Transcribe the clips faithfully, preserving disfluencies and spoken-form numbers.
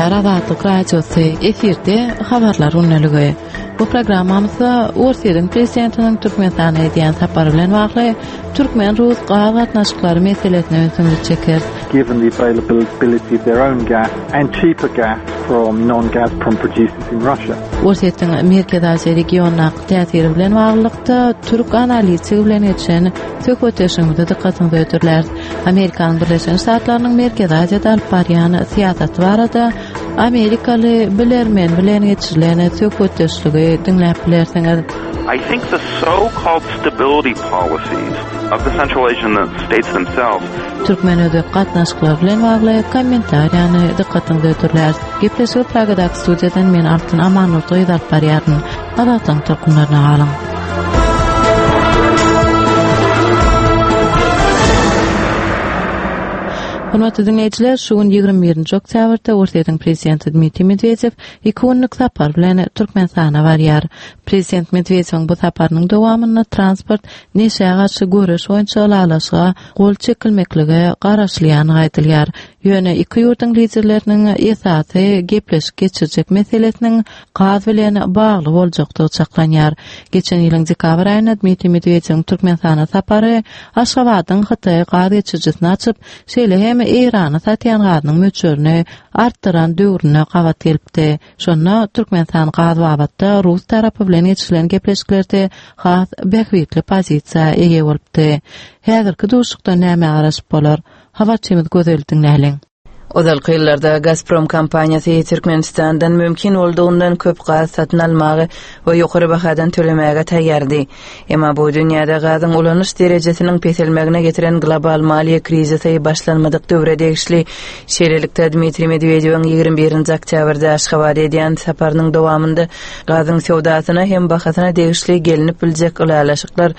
Salamlar Azatlyk Radiosy, efirde Habarlar gündeligi. Bu programmamyzda Orsýetiň prezidentiniň Türkmenistana edýän sapary bilen bagly türkmen-rus gaz gatnaşyklary meselesine ünsümizi çekeris. Given the availability of their own gas and cheaper gas from non-Gazprom producers in Russia. Orsýetiň Merkezi Aziýa regionyndaky täsiri bilen baglylykda türk analitigi bilen geçen söhbetdeşligimize dykgatyňyzy hödürläris. Amerikanyň Birleşen Ştatlarynyň Merkezi Aziýada alyp barýan syýasaty barada amerikaly bilermen bilen geçirilen söhbetdeşligi diňläp bilersiňiz. I think the so-called stability policies of the Central Asian states themselves Türkmen-özbek gatnaşyklary bilen bagly kommentariýany dykgatyňyza hödürläris. Gepleşigi Pragadaky studiýadan men Altyn Amanurdy alyp barýaryn. Azatlygyň tolkunlaryna galyň. Hormatly dinleýjiler, şu gün ýigrimi birinji oktýabrda Orsýetiň prezidenti Dmitriý Medwedew iki günlük sapar bilen Türkmenistana barýar. Prezident Medwedewiň bu saparynyň dowamynda transport neşä garşy göreş boýunça ylalaşyga gol çekilmeklige garaşylýandygy aýdylýar. Ýöne iki ýurduň liderleriniň esasy gepleşik geçirjek meselesiniň gaz bilen bagly boljakdygy çaklanýar. Geçen ýylyň dekabr aýynda Dmitriý Medwedewiň Türkmenistana sapary Aşgabadyň Hytaý gaz geçirijisini açyp, şeýle hem Eýrana satýan gazynyň möçberini artdyran döwrüne gabat gelipdi. Şonda Türkmenistan gaz babatda Rus tarapy bilen geçirilen gepleşiklerde has bähbitli pozisiýa eýe bolupdy. Häzirki duşuşykda näme garaşyp bolar? Habarçymyz Gözel diňläliň. Ozalky ýyllarda Gazprom kompaniýasy Türkmenistandan mümkin boldugyndan köp gaz satyn almagy we ýokary bahadan tölemäge taýýardy. Emma bu dünýäde gazyň ulanyş derejesiniň peselmegine getiren global maliýe krizisi başlanmadyk döwre degişli. Şeýlelikde Dmitriý Medwedewiň ýigrimi birinji oktýabrda Aşgabada edýän saparynyň dowamynda gazyň söwdasyna hem bahasyna degişli gelinip biljek ylalaşyklar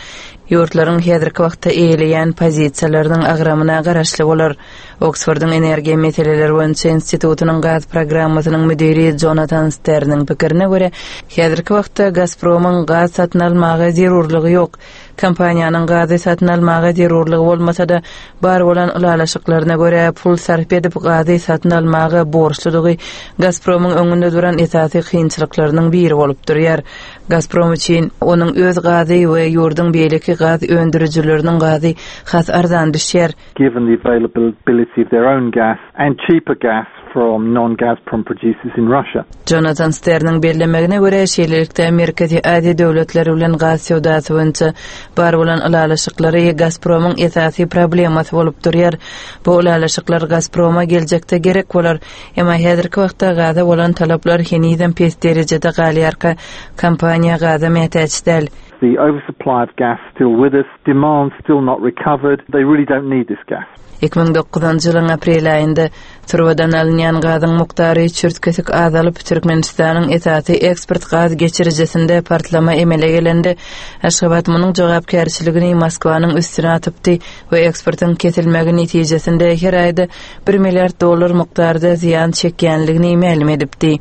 ýurtlaryň häzirki wagtda eýeleýän pozisiýalarynyň agramyna garaşly bolar. Oksfordyň energiýa meseleleri boýunça institutynyň gaz programmasynyň müdiri Jonathan Sterniň pikirine görä, häzirki wagtda Gazpromyň gaz satyn almaga zerurlygy ýok. Kompaniýanyň gazy satyn almaga zerurlygy bolmasa-da, bar bolan ylalaşyklaryna görä pul sarp edip gazy satyn almaga borçludygy Gazpromyň öňünde duran esasy kynçylyklarynyň biri bolup durýar. Gazprom üçin onuň öz gazy we ýurduň beýleki gaz öndürijileriniň gazy has arzan düşýär. Given the availability of their own gas and cheaper gas from non-Gazprom producers in Russia. Jonathan Sterniň bellemegine görä, şeýlelikde Merkezi Aziýa döwletleri bilen gaz söwdasy boýunça bar bolan ylalaşyklary Gazpromyň esasy problemasy bolup durýar. Bu ylalaşyklar Gazproma geljekde gerek bolar, emma häzirki wagtda gaza bolan talaplar henizem pes derejede galýarka, kompaniýa gaza mätäç däl. The oversupply of gas still with us, demand still not recovered. They really don't need this gas. Iki müň dokuzynjy ýylyň aprel aýynda turbadan alynýan gazyň mukdary çürt-kesik azalyp, Türkmenistanyň esasy eksport gaz geçirijisinde partlama emele gelende, Aşgabat munuň jogapkärçiligini Moskwanyň üstüne atypdy we eksportyň kesilmegi netijesinde her aýda bir milliard dollar mukdarda zyýan çekýänligini mälim edipdi.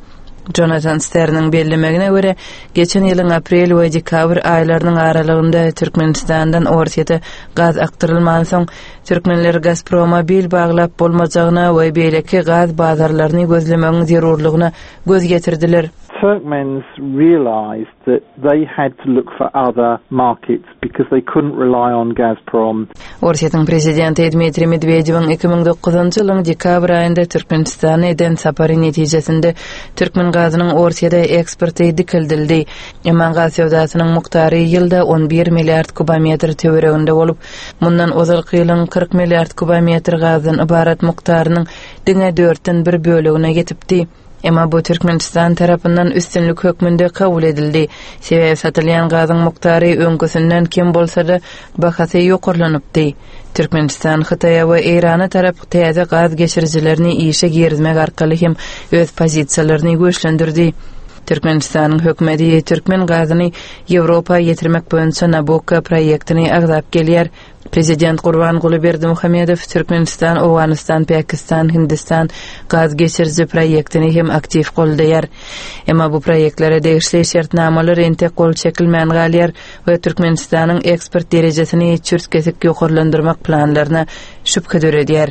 Jonathan Sterniň bellemegine görä, geçen ýylyň aprel we dekabr aýlarynyň aralygynda Türkmenistandan Orsýete gaz akdyrylmansoň, türkmenler Gazproma bil baglap bolmajagyna we beýleki gaz bazarlaryny gözlemegiň zerurlygyna göz ýetirdiler. Turkmens realized that they had to look for other markets because they couldn't rely on Gazprom. Orsýetiň prezidenti Dmitriý Medwedewiň iki müň dokuzynjy ýylyň dekabr aýynda Türkmenistana eden sapary netijesinde türkmen gazynyň Orsýete eksporty dikeldildi. Emma gaz söwdasynyň mukdary ýylda on bir milliard kubometr töwereginde bolup, mundan ozalky ýylyň kyrk milliard kubometr gazdan ybarat mukdarynyň diňe dörtden bir bölegine ýetipdi. Emma bu Türkmenistan tarapyndan üstünlik hökmünde kabul edildi. Sebäbi satylýan gazyň mukdary öňküsinden kem bolsa-da bahasy ýokarlanypdy. Türkmenistan Hytaýa we Eýrana tarap täze gaz geçirijilerini işe girizmek arkaly hem öz pozisiýalaryny güýçlendirdi. Türkmenistanyň hökümeti türkmen gazyny Ýewropa ýetirmek boýunça Nabucco proýektini agzap gelýär. Prezident Gurbanguly Berdimuhamedow Türkmenistan, Owganystan, Pakistan, Hindistan gaz geçiriji proýektini hem aktiw goldaýar. Emma bu proýektlere degişli şertnamalar entek gol çekilmän galýar we Türkmenistanyň eksport derejesini çürt-kesik ýokarlandyrmak planlaryna şübhe döredýär.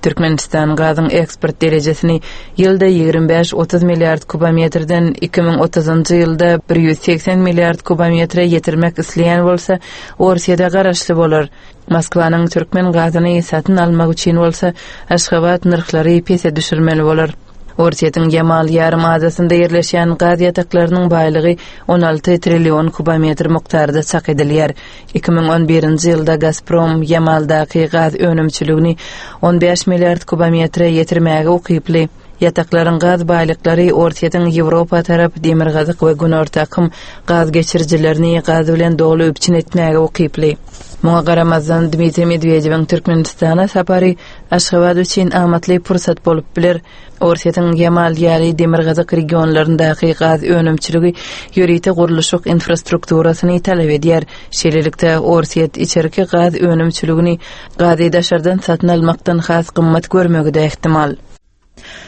Türkmenistan gazyň eksport derejesini ýylda ýigrimi bäş otuz milliard kubometrden iki müň otuzynjy ýylda bir ýüz segsen milliard kubometre ýetirmek isleýän bolsa, Orsýete garaşly bolar. Moskwanyň türkmen gazyny satyn almak üçin bolsa Aşgabat nyrhlary pese düşürmeli bolar. Orsýetiň Ýamal ýarym adasynda ýerleşýän gaz ýataklarynyň baýlygy on alty trillion kubometr mukdarda çak edilýär. Iki müň on birinji ýylda Gazprom Ýamaldaky gaz önümçiligini on bäş milliard kubometre ýetirmäge ukyply. Ýataklaryň gaz baýlyklary Orsýetiň Ýewropa tarap demirgazyk we günorta akym gaz geçirijilerini gaz bilen doly üpjün etmäge ukyply. Muňa garamazdan Dmitriý Medwedewiň Türkmenistana sapary Aşgabat üçin amatly pursat bolup biler. Orsýetiň Ýamal ýaly demirgazyk regionlaryndaky gaz önümçiligi ýörite gurluşyk infrastrukturasyny talap edýär. Şeýlelikde Orsýet içerki gaz önümçiligini gazy daşardan satyn almakdan has gymmat görmegi de ähtimal.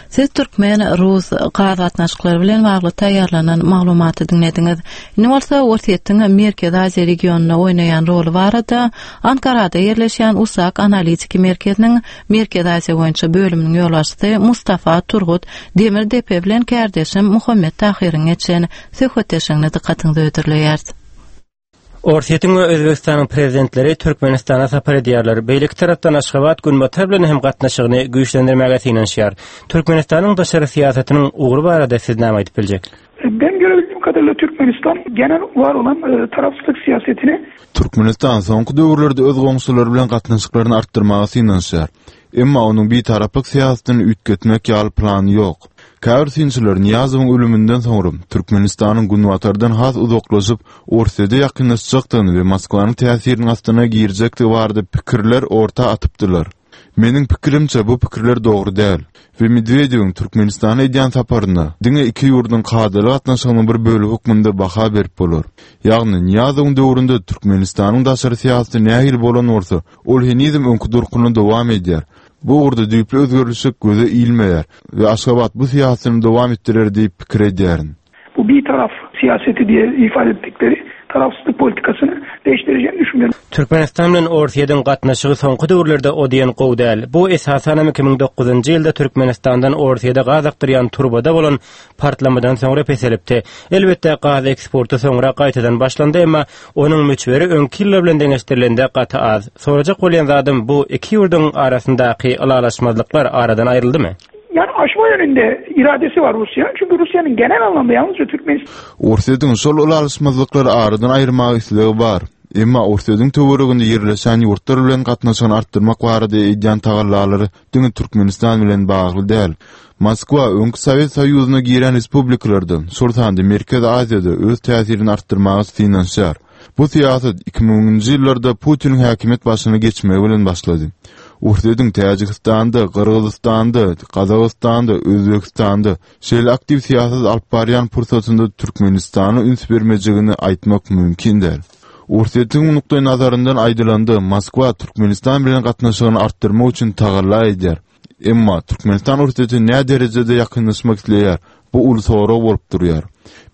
Siz Türkmen Rus gaz gatnaşyklary bilen bagly taýýarlanan maglumaty diňlediňiz. Indi bolsa Orsýetiň Merkezi Aziýa regionynda oýnaýan roly barada Ankarada ýerleşýän USAK analitiki merkeziniň Merkezi Aziýa boýunça bölüminiň ýolbaşçysy Mustafa Turgut Demirdepe bilen kärdeşim Muhammet Tahyryň geçen söhbetdeşligine dykgatyňyzy hödürleýäris. Orsýetiň we Özbegistanyň prezidentleri Türkmenistana sapar edýärler. Beýleki tarapdan Aşgabat Günbatar bilen hem gatnaşygyny güýçlendirmäge synanyşýar. Türkmenistanyň daşary syýasatynyň ugry barada siz näme aýdyp biljek? Ben görebildiğim kadarıyla Türkmenistan genel var olan e, tarafsızlık siyasetini Türkmenistan soňky döwürlerde öz goňşulary bilen gatnaşyklaryny artdyrmaga synanyşýar. Emma onuň bitaraplyk syýasatyny üýtgetmek ýaly plany ýok. Käbir synçylar Niýazowyň ölüminden soňra Türkmenistanyň Günbatardan has uzaklaşyp Orsýete ýakynlaşjakdygyny we Moskwanyň täsiriniň astyna girjekdigi barada pikirler orta atypdylar. Meniň pikirimçe bu pikirler dogry däl we Medwedewiň Türkmenistana edýän saparyna diňe iki ýurduň kadaly gatnaşygynyň bir bölegi hökmünde baha berip bolar. Ýagny Niýazowyň döwründe Türkmenistanyň daşary syýasaty nähili bolan bolsa, ol henizem öňki durkuny dowam edýär. Bu ugurda düýpli özgerişlik göze ilmeýär we Aşgabat bu syýasatyny dowam etdirer diýip pikir edýärin. Bu bir taraf siyaseti diye ifade ettikleri tarafsızlık politikasını değiştireceğini düşünüyorum. Türkmenistan bilen Orsýetiň gatnaşygy soňky döwürlerde o diýen gowy däl. Bu esasan iki müň dokuzynjy ýylda Türkmenistandan Orsýete gaz akdyrýan turbada bolan partlamadan soňra peselipdi. Elbetde gaz eksporty soňra gaýtadan başlandy, emma onuň möçberi öňki ýyllar bilen deňeşdirilende gaty az. Sorajak bolýan zadym bu iki ýurduň arasyndaky ylalaşmazlyklar aradan aýryldymy? Yani aşma yönünde iradesi var Rusya'nın. Çünkü Rusya'nın genel anlamda yalnızca Türkmenistan Orsýetiň şol ylalaşmazlyklary aradan aýyrmaga islegi bar. Emma Orsýetiň töwereginde ýerleşen ýurtlar bilen gatnaşygyny artdyrmak barada edýän tagallalary diňe Türkmenistan bilen bagly däl. Moskwa öňki Sowet Soýuzyna giren respublikalarda, şol sanda Merkezi Aziýada öz täsirini artdyrmaga synanyşýar. Bu syýasat iki müňünji ýyllarda Putiniň häkimiýet başyna geçmegi bilen başlady. Orsýetiň Täjigistanda, Gyrgyzystanda, Gazagystanda, Özbegistanda şeýle aktiw syýasat alyp barýan pursatynda Türkmenistana üns bermejegini aýtmak mümkin däl. Orsýetiň nukdaý nazaryndan aýdylanda Moskwa Türkmenistan bilen gatnaşygyny artdyrmak üçin tagalla edýär. Emma Türkmenistan Orsýete nä derejede ýakynlaşmak isleýär? Bu uly sorag bolup durýar.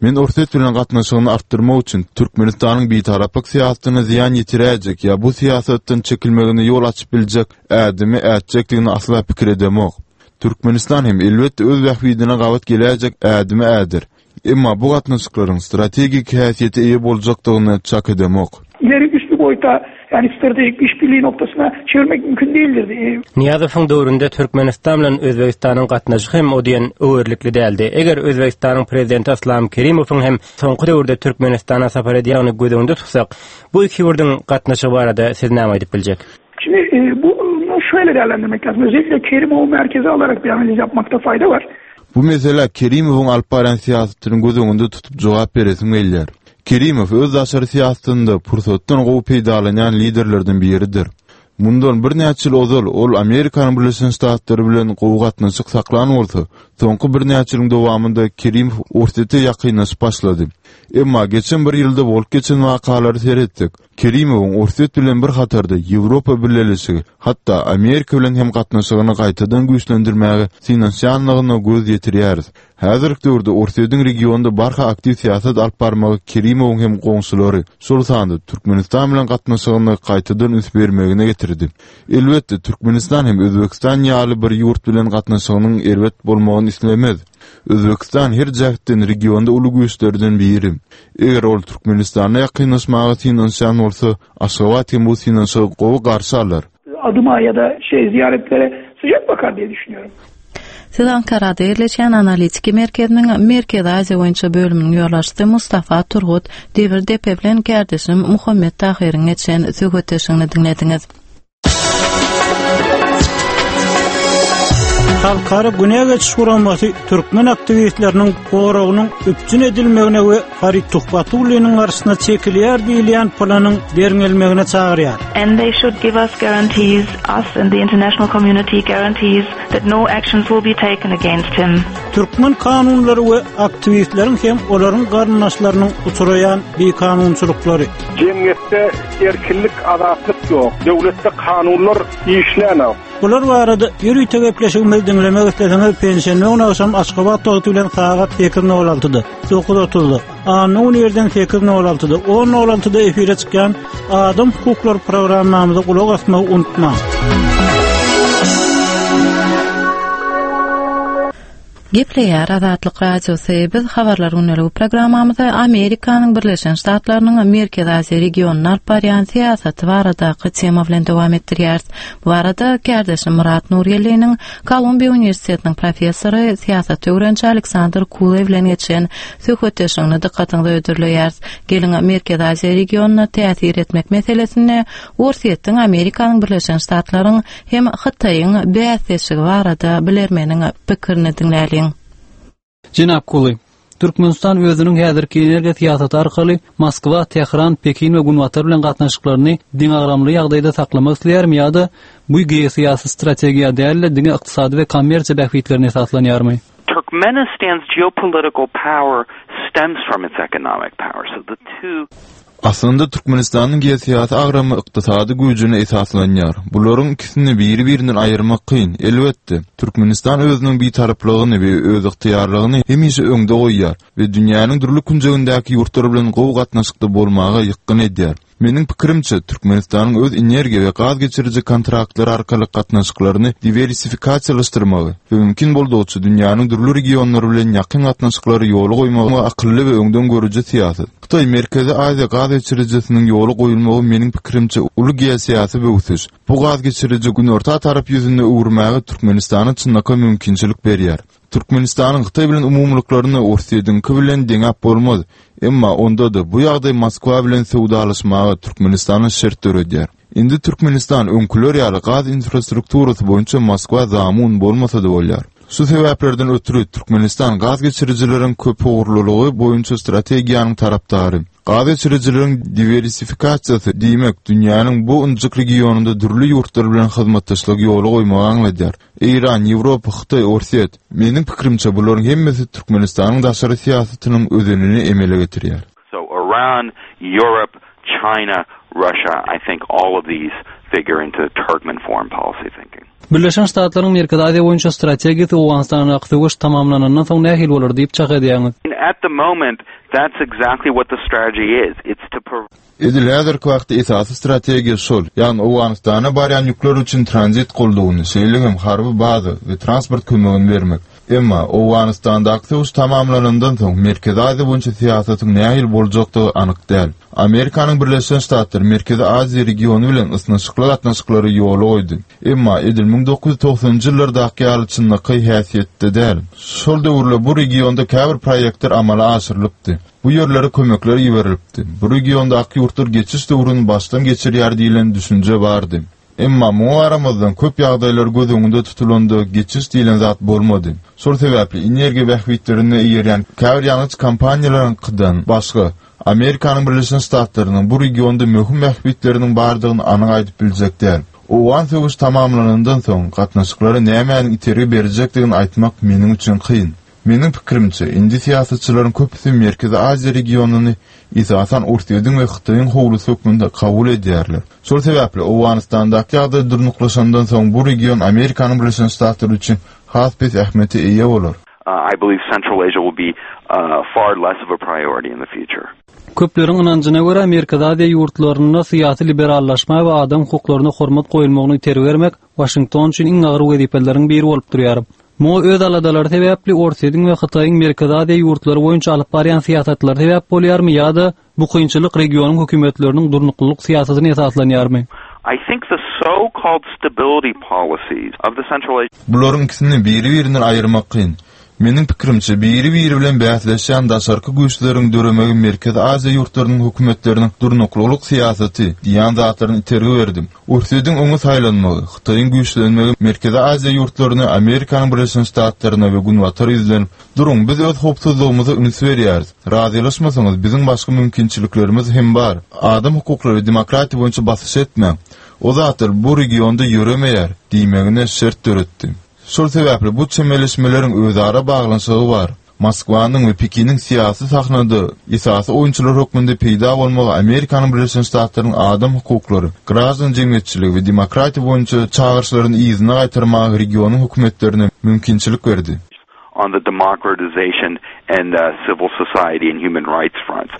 Men Orsýet bilen gatnaşygyny artdyrmak üçin Türkmenistanyň bitaraplyk syýasatyna zyýan ýetiräýjek ýa bu syýasatdan çekilmegine ýol açyp biljek ädimi ätjekdigini asla pikir edemok. Türkmenistan hem elbetde öz bähbidine gabat geläýjek ädimi ädir. Emma bu gatnaşyklaryň strategik häsiýete eýe boljakdygyny çak edemok. İleri üstü boyuta yani stratejik işbirliği noktasına çevirmek mümkün değildir. Ee, Niýazowyň döwründe Türkmenistan bilen Özbegistanyň gatnaşygy hem o diýen öwerlikli däldi. Eger Özbegistanyň prezidenti Islam Kerimowyň hem soňky döwürde Türkmenistana sapar edýänini göz öňünde tutsak, bu iki ýurduň gatnaşygy barada siz näme aýdyp biljek? Şimdi e, bunu şöyle değerlendirmek lazım. Özellikle Kerimov'u merkeze alarak bir analiz yapmakta fayda var. Bu mesele Kerimowyň alyp barýan syýasatyny göz öňünde tutup jogap beresim gelýär. Kerimow öz daşary syýasatynda pursatdan gowy peýdalanýan liderlerden biridir. Mundan birnäçe ýyl ozal ol Amerikanyň Birleşen Ştatlary bilen gowy gatnaşyk saklan bolsa, soňky birnäçe ýylyň dowamynda Kerimow Orsýete ýakynlaşyp başlady. Emma geçen bir ýylda bolup geçen wakalary seretdik. Kerimowyň Orsýet bilen bir hatarda Ýewropa Bileleşigi, hatda Amerika bilen hem gatnaşygyny gaýtadan güýçlendirmäge synanyşýanlygyna göz ýetirýäris. Häzirki döwürde Orsýetiň regionda barha aktiw syýasat alyp barmagy Kerimowyň hem goňşulary, şol sanda Türkmenistan bilen gatnaşygyny gaýtadan üns bermegine getirdi. Elbetde Türkmenistan hem Özbekistan ýaly bir ýurt bilen gatnaşygynyň erbet bolmagyny islemez. Özbekistan her jähtden regionda uly güýçlerden biri. Eger ol Türkmenistana ýakynlaşmaga synanyşan bolsa, Aşgabat hem bu synanyşygy gowy garşy alar. Adıma ya da şey ziyaretlere sıcak bakar diye düşünüyorum. Siz Ankara'da yerleşen analitiki merkeziniň Merkezi Aziýa boýunça bölüminiň ýolbaşçysy Mustafa Turgut Devir Depe bilen kardeşim Muhammed Tahyryň geçen söhbetdeşligini diňlediňiz. Halkara Günä geçiş guramasy türkmen aktiwistleriniň goragynyň üpjün edilmegine we Farid Tuhbatulliniň garşysyna çekilýär diýilýän planyň derňelmegine çagyrýar. And they should give us guarantees, us and the international community guarantees that no actions will be taken against him. Türkmen kanunlary we aktiwistleriň hem olaryň garyndaşlarynyň uçuraýan bikanunçylyklary. Jemgyýetde erkinlik, azatlyk ýok. Döwletde kanunlar işlänok. Bular barada ýörite gepleşigimizi diňlemek isleseňiz penşenbe güni agşam Aşgabat wagty bilen sagat sekiz nol altyda, dokuz otuzda, anna güni ýerden sekiz nol altyda, on nol altyda efire çykýan Adam hukuklary programmamyza gulak asmagy unutmaň. Gepleýär Azatlyk Radiosy. Biz habarlar günlügi programmamyzy Amerikanyň Birleşen Ştatlarynyň Merkezi Aziýa regionyna alyp barýan syýasaty baradaky tema bilen dowam etdirýäris. Bu arada kardeşim Murat Nurgeliniň Kolumbiýa Uniwersitetiniň professory, syýasat öwreniji Aleksandr Kulew bilen geçen söhbetdeşligini dykgatyňyza hödürleýäris. Geliň Merkezi Aziýa regionyna täsir etmek meselesinde Orsýetiň, Amerikanyň Birleşen Ştatlaryň hem Hytaýyň bäsdeşligi barada bilermeniň pikirini diňläliň. Jenap Kuly, Türkmenistan özüniň häzirki energiýa syýasaty arkaly Moskwa, Tehran, Pekin we Günbatar bilen gatnaşyklaryny deňagramly ýagdaýda saklamak isleýärmi ýa-da bu geosyýasy strategiýa däl-de diňe ykdysady we kommersiýa bähbitlerine esaslanýarmy? Turkmenistan's geopolitical power stems from its economic power. So the two Aslynda Türkmenistanyň geosyýasy agramy ykdysady güýjüne esaslanýar. Bularyň ikisini biri-birinden aýyrmak kyn. Elbetde, Türkmenistan özüniň bitaraplygyny we özygtyýarlygyny hemişe öňde goýýar we dünýäniň dürli künjegindäki ýurtlar bilen gowy gatnaşykda bolmaga ýykgyn edýär. Meniň pikirimçe, Türkmenistanyň öz energiýa we gaz geçiriji kontraktlary arkaly gatnaşyklaryny diwersifikasiýalaşdyrmagy we mümkin boldugyça dünýäniň dürli regionlary bilen ýakyn gatnaşyklary ýola goýmagy akylly we öňden görüji syýasat. Hytaý Merkezi Aziýa gaz geçirijisiniň ýola goýulmagy meniň pikirimçe uly geosyýasy böwsüş. Bu gaz geçiriji günorta tarap ýüzünde öwürmäge Türkmenistana çynlakaý mümkinçilik berýär. Türkmenistanyň Hytaý bilen umumylyklaryny Orsýetiňki bilen deňäp bolmaz. Emma onda-da bu ýagdaý Moskwa bilen söwdalaşmaga Türkmenistana şert döredýär. Indi Türkmenistan öňküler ýaly gaz infrastrukturasy boýunça Moskwa zamun bolmasa-da bolýar. Şu sebäplerden ötürü Türkmenistan gaz geçirijileriň köpugurlylygy boýunça strategiýanyň tarapdary. Gaz geçirijileriň diwersifikasiýasy diýmek dünýäniň bu ynjyk regionynda dürli ýurtlar bilen hyzmatdaşlyk ýola goýmagy aňladýar. Eýran, Ýewropa, Hytaý, Orsýet. Meniň pikirimçe bularyň hemmesi Türkmenistanyň daşary syýasatynyň özenini emele getirýär. So Iran, Europe, China, Russia, I think all of these figure into Turkmen foreign policy thinking. Birleşen Ştatlaryň Merkezi Aziýa boýunça strategiýasy Owganystandaky söweş tamamlanandan soň nähili bolar diýip çak edýäňiz? At the moment, that's exactly what the strategy is. It's to provide Edil häzirki wagtda esasy strategiýa şol, ýagny Owganystana barýan ýükler üçin tranzit goldawyny, şeýle hem harby baza we transport kömegini bermek. Emma Owganystandaky söweş tamamlanandan soň Merkezi Aziýa boýunça syýasatyň nähili boljakdygy anyk däl. Amerikanyň Birleşen Ştatlary Merkezi Aziýa regiony bilen ysnyşykly gatnaşyklary ýola goýdy. Emma edil müň dokuz ýüz togsanynjy ýyllardaky ýaly çynlakaý häsiýetde däl. Şol döwürde bu regionda käbir proýektler amala aşyrylypdy. Bu ýerlere kömekler iberilipdi. Bu regiondaky ýurtlar geçiş döwrüni başdan geçirýär diýlen düşünje bardy. Emma muňa garamazdan köp ýagdaýlar göz öňünde tutulanda geçiş diýlen zat bolmady. Şol sebäpli energiýa bähbitlerine eýerýän käbir ýangyç kompaniýalaryňkydan başga Amerikanyň Birleşen Ştatlarynyň bu regionda möhüm bähbitleriniň bardygyny anyk aýdyp biljek däl. Owgan söweşi tamamlanandan soň gatnaşyklara nämäniň itergi berjekdigini aýtmak meniň üçin kyn. Meniň pikirimçe, indi syýasatçylaryň köpüsi Merkezi Aziýa regionyny esasan Orsýetiň we Hytaýyň howlusy hökmünde kabul edýärler. Şol sebäpli Owganystandaky ýagdaý durnuklaşandan soň bu region Amerikanyň Birleşen Ştatlary üçin has pes ähmiýete eýe bolar. Uh, I believe Central Asia will be uh, far less of a priority in the future. Köpleriň ynanjyna görä Merkezi Aziýa ýurtlarynda syýasy liberallaşma we adam hukuklaryna hormat goýulmagyny itergi bermek Waşington üçin iň agyr wezipeleriň biri bolup durýar. Muňa öz aladalary sebäpli Orsýetiň we Hytaýyň Merkezi Aziýa ýurtlary boýunça alyp barýan syýasatlary sebäp bolýarmy ýa-da bu kynçylyk regionyň hökümetleriniň durnuklylyk syýasatyna esaslanýarmy? I think the so-called stability policies of the Central Asia Bularyň ikisini biri-birinden aýyrmak kyn. Meniň pikirimçe biri-biri bilen bäsleşýän daşarky güýçleriň döremegi Merkezi Aziýa ýurtlarynyň hökümetleriniň durnuklylyk syýasaty diýen zatlaryny itergi berdi. Orsýetiň öňe saýlanmagy, Hytaýyň güýçlenmegi Merkezi Aziýa ýurtlaryny Amerikanyň Birleşen Ştatlaryna we Günbatara ýüzlenip, "Duruň, biz öz howpsuzlygymyza üns berýäris. Razylaşmasaňyz biziň başga mümkinçiliklerimiz hem bar. Adam hukuklary we demokratiýa boýunça basyş etmäň. O zatlar bu regionda ýöremeýär" diýmegine şert döretdi. Şol sebäpli bu çemeleşmeleriň özara baglanyşygy bar. Moskwanyň we Pekiniň syýasy sahnada esasy oýunçylar hökmünde peýda bolmagy Amerikanyň Birleşen Ştatlarynyň adam hukuklary, graždan jemgyýetçiligi we demokratiýa boýunça çagyryşlaryny yzyna gaýtarmaga regionyň hökümetlerine mümkinçilik berdi. on the democratization and uh, civil society and human rights fronts.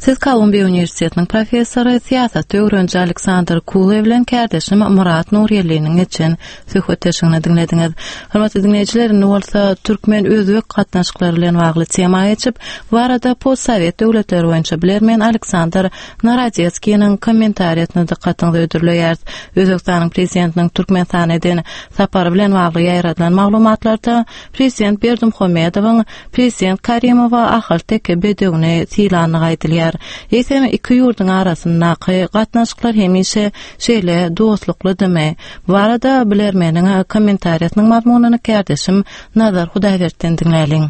Siz Kolumbiýa Uniwersitetiniň professory, syýasat öwreniji Aleksandr Kuly bilen kärdeşim Murat Nurýelliniň geçen söhbetdeşligini diňlediňiz. Hormatly diňleýjiler, indi bolsa türkmen özbek gatnaşyklary bilen bagly tema geçip, bu arada postsowet döwletleri boýunça bilermen Aleksandr Narodetskiniň kommentariýasyny dykgatyňyza hödürleýäris. Özbekistanyň prezidentiniň Türkmenistana eden sapary bilen bagly ýaýradylan maglumatlarda prezident Berdimuhamedowyň prezident Karimowa Ahalteke bedewini sylandygy aýdylýar. Eýsem iki ýurduň arasyndaky gatnaşyklar hemişe şeýle dostluklydymy? Bu arada bilermeniň kommentariýasynyň mazmunyny kärdeşim Nazar Hudaýberdi'den diňläliň.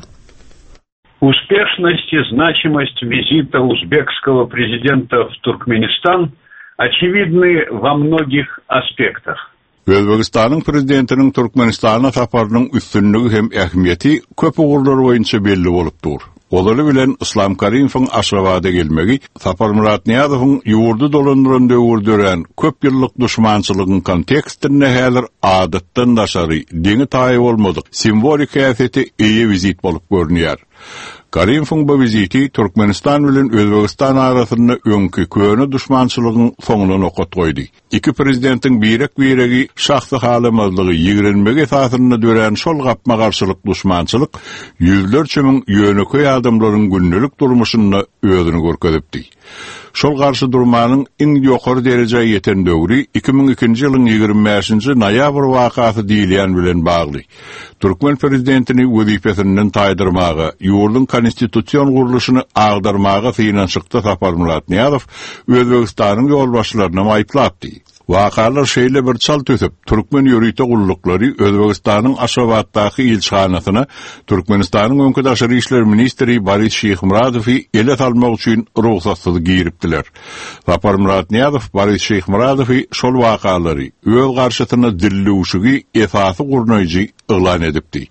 Успешность и значимость визита узбекского президента в Туркменистан очевидны во многих аспектах. Özbegistanyň prezidentiniň Türkmenistana saparynyň üstünligi hem ähmiýeti köp ugurlar boýunça belli bolup dur. Ozaly bilen Islam Karimowyň Aşgabada gelmegi Saparmyrat Nyýazowyň ýurdy dolandyran döwür dörän köp ýyllyk duşmançylygyň kontekstinde häzir adatdan daşary deňi taýy bolmadyk simwolik häsiýete eýe wizit bolup görünýär. Karimowyň bu wiziti Türkmenistan bilen Özbegistan arasynda öňki köne duşmançylygyň soňuna nokat goýdy. Iki prezidentiň birek-biregi şahsy halamazlygy ýigrenmegi esasynda dörän şol gapma garşylyk duşmançylyk ýüzlerçe müň ýönekeý adamlaryň gündelik durmuşynda özüni görkezipdi. Şol garşy durmanyň iň ýokary derejä ýeten döwri iki müň ikinji ýylyň ýigrimi bäşinji noýabr wakasy diýilýän bilen bagly. Türkmen prezidentini wezipesinden taýdyrmaga, ýurduň konstitusion gurluşyny agdarmaga synanyşykda Saparmyrat Nyýazow Özbegistanyň ýolbaşçylaryny aýyplapdy. Wakalar şeýle bir çalt ösüp, türkmen ýörite gulluklary Özbegistanyň Aşgabatdaky ilçihanasyna Türkmenistanyň öňki daşary işler ministri Boris Şyhmyradowy ele salmak üçin rugsatsyz giripdiler. Saparmyrat Nyýazow Boris Şyhmyradowy şol wakalary öz garşysyna dillewşigi esasy gurnaýjy yglan edipdi.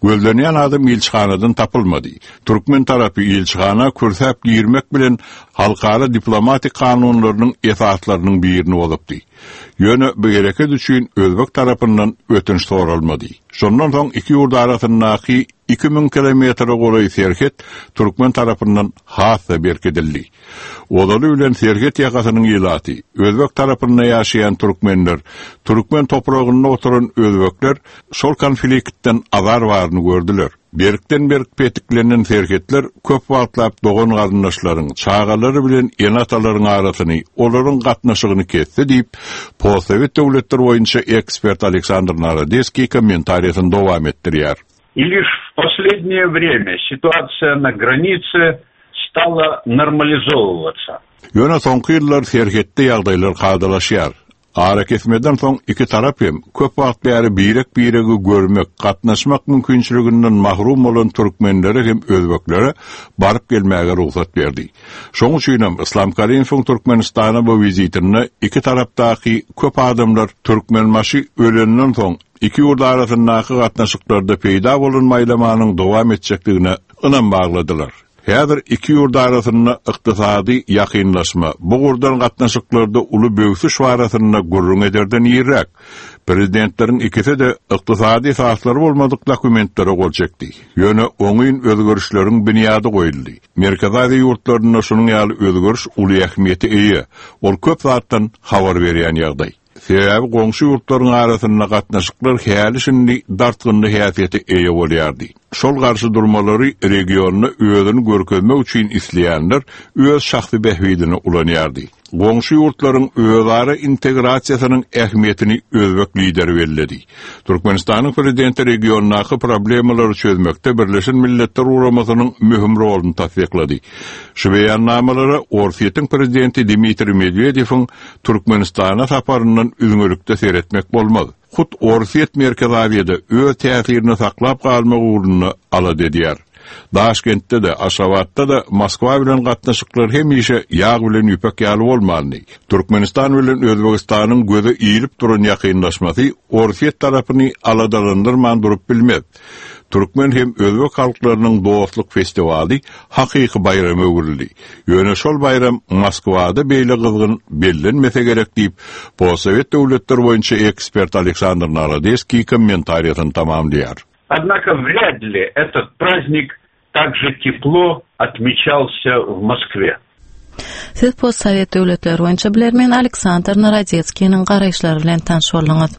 Gözlenýän adam ilçihanadan tapylmady. Türkmen tarapy ilçihana kürsäp girmek bilen halkara diplomatik kanunlarynyň esaslarynyň birini bozupdy. Ýöne bu hereket üçin Özbek tarapyndan ötünç soralmady. Şondan soň iki ýurt arasyndaky iki müň kilometre golaý serhet türkmen tarapyndan has-da berkidildi. Ozaly bilen serhet ýakasynyň ilaty, Özbek tarapynda ýaşaýan türkmenler, türkmen topragynda oturan özbekler şol konfliktden azar baryny gördüler. Berkden berk petiklenen serhetler köp wagtlap dogan garyndaşlaryň, çagalary bilen ene-atalaryň arasyny, olaryň gatnaşygyny kesdi diýip, postsowet döwletler boýunça ekspert Aleksandr Narodetskiý kommentariýasyny dowam etdirýär. И лишь в последнее время ситуация на границе стала нормализовываться. Ýöne soňky ýyllar serhetde ýagdaýlar kadalaşýar. Ara kesmeden soň iki tarap hem köp wagt bäri birek-biregi görmek, gatnaşmak mümkinçiliginden mahrum bolan türkmenlere hem özbeklere baryp gelmäge rugsat berdi. Şoň üçin hem Islam Karimowyň Türkmenistana bu wizitinde iki tarapdaky köp adamlar Türkmenbaşy ölenden soň Iki ýurt arasyndaky gatnaşyklarda peýda bolan maýlamanyň dowam etjekdigine ynam bagladylar. Häzir iki ýurt arasynda ykdysady ýakynlaşma, bu ugurdan gatnaşyklarda uly böwsüş barasynda gürrüň ederden irräk. Prezidentleriň ikisi de ykdysady esaslary bolmadyk dokumentlere gol çekdi. Ýöne oňyn özgerişleriň binýady goýuldy. Merkezi Aziýa ýurtlarynda şunuň ýaly özgeriş uly ähmiýete eýe. Ol köp zatdan habar berýän ýagdaý. Sebäbi goňşy ýurtlaryň arasynda gatnaşyklar häli şindi dartgynly häsiýete eýe bolýardy. Şol garşy durmalary regionda özüni görkezmek üçin isleýänler öz şahsy bähbidini ulanýardy. Goňşy ýurtlaryň özara integrasiýasynyň ähmiýetini özbek lideri belledi. Türkmenistanyň prezidenti regiondaky problemalary çözmekde Birleşen Milletler Guramasynyň möhüm roluny tassyklady. Şu beýannamalara Orsýetiň prezidenti Dmitriý Medwedewiň Türkmenistana saparyndan üzňelikde seretmek bolmaz. Hut Orsýet Merkezi Aziýada öz täsirini saklap galmak ugrunda alada edýär. Daşkentde de, Aşgabatda da Moskwa bilen gatnaşyklar hemişe ýag bilen ýüpek ýaly bolmandy. Türkmenistan bilen Özbegistanyň göze ilip duran ýakynlaşmasy Orsýet tarapyny aladalandyrman durup bilmez. Türkmen hem özbek halklarynyň dostluk festiwaly hakyky baýrama öwrüldi. Ýöne şol baýram Moskwada beýle gyzgyn bellenmese gerek diýip, postsowet döwletler boýunça ekspert Aleksandr Narodeskiý kommentariýasyny tamamlaýar. Однако вряд ли этот праздник так же тепло отмечался в Москве. Siz postsowet döwletleri boýunça bilermen Aleksandr Narodetskiniň garaýyşlary bilen tanyş bolduňyz.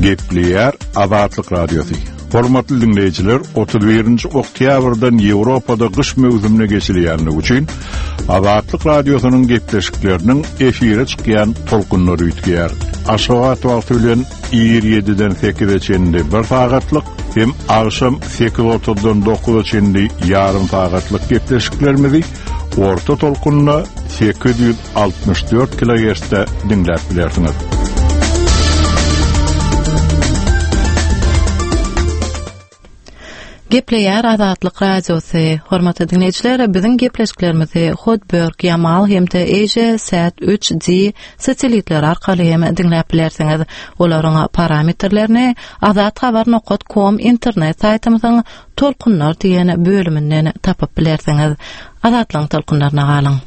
Gepleýär Azatlyk Radiosy. Hormatly dinleýjiler, otuz birinji oktýabrdan Ýewropada gyş möwsümine geçilýänligi üçin Azatlyk Radiosynyň gepleşikleriniň efire çykýan tolkunlary üýtgeýär. Aşgabat wagty bilen ir ýediden sekize çenli bir sagatlyk hem agşam sekiz otuzdan dokuza çenli ýarym sagatlyk gepleşiklerimizi orta tolkunda sekiz ýüz altmyş dört kilohertzde diňläp bilersiňiz. Gepleýär Azatlyk Radiosy. Hormatly dinleýjiler, biziň gepleşiklerimizi Hotbird, Yamal hem-de Asia Sat üç D satelitleri arkaly hem diňläp bilersiňiz. Olaryň parametrlerini azathabar nokta com internet saýtymyzyň Tolkunlar diýen bölüminden tapyp bilersiňiz. Azatlygyň tolkunlaryna galyň.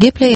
Gepleýär